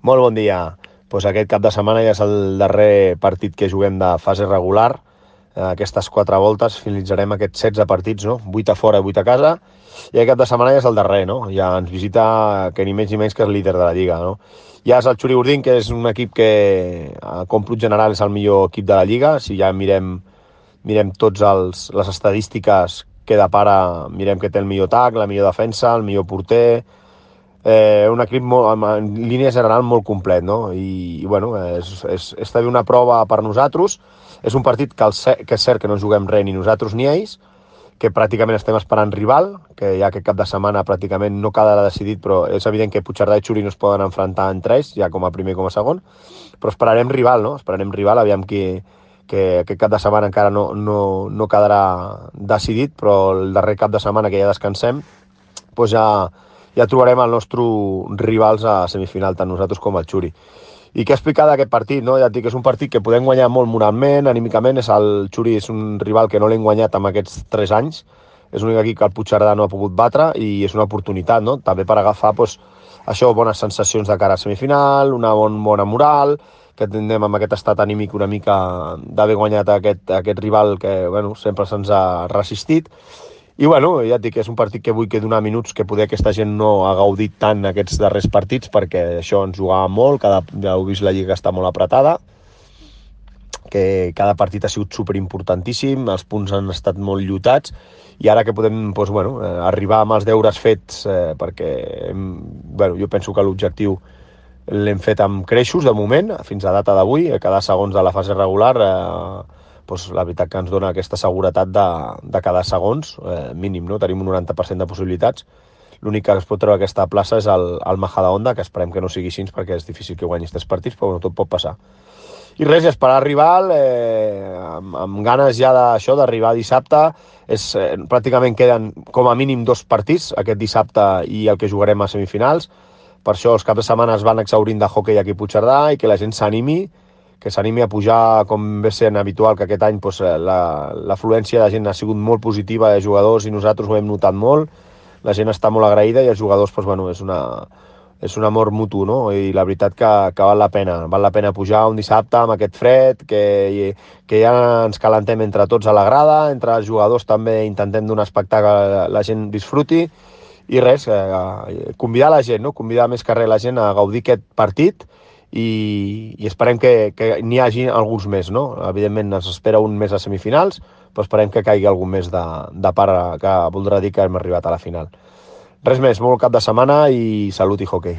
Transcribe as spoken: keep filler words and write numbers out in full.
Molt bon dia. Pues aquest cap de setmana ja és el darrer partit que juguem de fase regular. Aquestes quatre voltes finalitzarem aquests setze partits, no? vuit a fora i vuit a casa. I aquest cap de setmana ja és el darrer, no? Ja ens visita que ni menys ni menys que és el líder de la Lliga, no? Ja és el Xuri Urdin, que és un equip que a còmput general és el millor equip de la Lliga. Si ja mirem, mirem tots els, les estadístiques que de pare mirem que té el millor atac, la millor defensa, el millor porter. Eh, un equip molt, en línia general molt complet, no? I, i bueno, és, és, és també una prova per nosaltres. És un partit que, el, que és cert que no juguem res ni nosaltres ni ells, que pràcticament estem esperant rival, que ja aquest cap de setmana pràcticament no quedarà decidit, però és evident que Puigcerdà i Xuri no es poden enfrontar entre ells, ja com a primer com a segon, però esperarem rival, no? Esperarem rival, aviam que, que aquest cap de setmana encara no, no, no quedarà decidit, però el darrer cap de setmana que ja descansem, doncs ja, ja trobarem els nostres rivals a semifinal, tant nosaltres com el Xuri. I què explicar d'aquest partit, no? Ja et dic que és un partit que podem guanyar molt moralment, anímicament. És el Xuri és un rival que no l'hem guanyat en aquests tres anys. És l'únic equip que el Puigcerdà no ha pogut batre i és una oportunitat, no? També per agafar doncs, això, bones sensacions de cara a semifinal, una bon, bona moral, que tindrem amb aquest estat anímic una mica d'haver guanyat aquest, aquest rival que bueno, sempre se'ns ha resistit. I bueno, ja et dic que és un partit que vull que donar minuts que poder aquesta gent no ha gaudit tant aquests darrers partits, perquè això ens jugava molt, cada, ja heu vist la Lliga està molt apretada, que cada partit ha sigut superimportantíssim, els punts han estat molt lluitats, i ara que podem doncs, bueno, arribar amb els deures fets, eh, perquè bueno, jo penso que l'objectiu l'hem fet amb creixos de moment, fins a data d'avui, a cada segons de la fase regular, eh, doncs la veritat que ens dona aquesta seguretat de, de cada segons, eh, mínim, no? Tenim un noranta per cent de possibilitats. L'únic que es pot treure aquesta plaça és el, el Majadahonda, que esperem que no sigui així perquè és difícil que guanyis tres partits, però bueno, tot pot passar. I res, esperar rival, eh, amb, amb ganes ja d'això, d'arribar dissabte. És, eh, pràcticament queden com a mínim dos partits, aquest dissabte i el que jugarem a semifinals. Per això els caps de setmana es van exhaurint de hoquei aquí a Puigcerdà i que la gent s'animi, que s'animi a pujar, com ve sent habitual, que aquest any doncs, l'afluència de gent ha sigut molt positiva de jugadors i nosaltres ho hem notat molt. La gent està molt agraïda i els jugadors doncs, bueno, és, una, és un amor mutu, no? I la veritat que, que val la pena. Val la pena pujar un dissabte amb aquest fred, que, que ja ens calentem entre tots a la grada, entre els jugadors també intentem donar espectacle, la gent disfruti. I res, eh, convidar la gent, no? Convidar més que res la gent a gaudir aquest partit, i, i esperem que, que n'hi hagi alguns més, no? Evidentment ens espera un mes a semifinals, però esperem que caigui algun més de, de part que voldrà dir que hem arribat a la final. Res més, molt cap de setmana i salut i hoquei.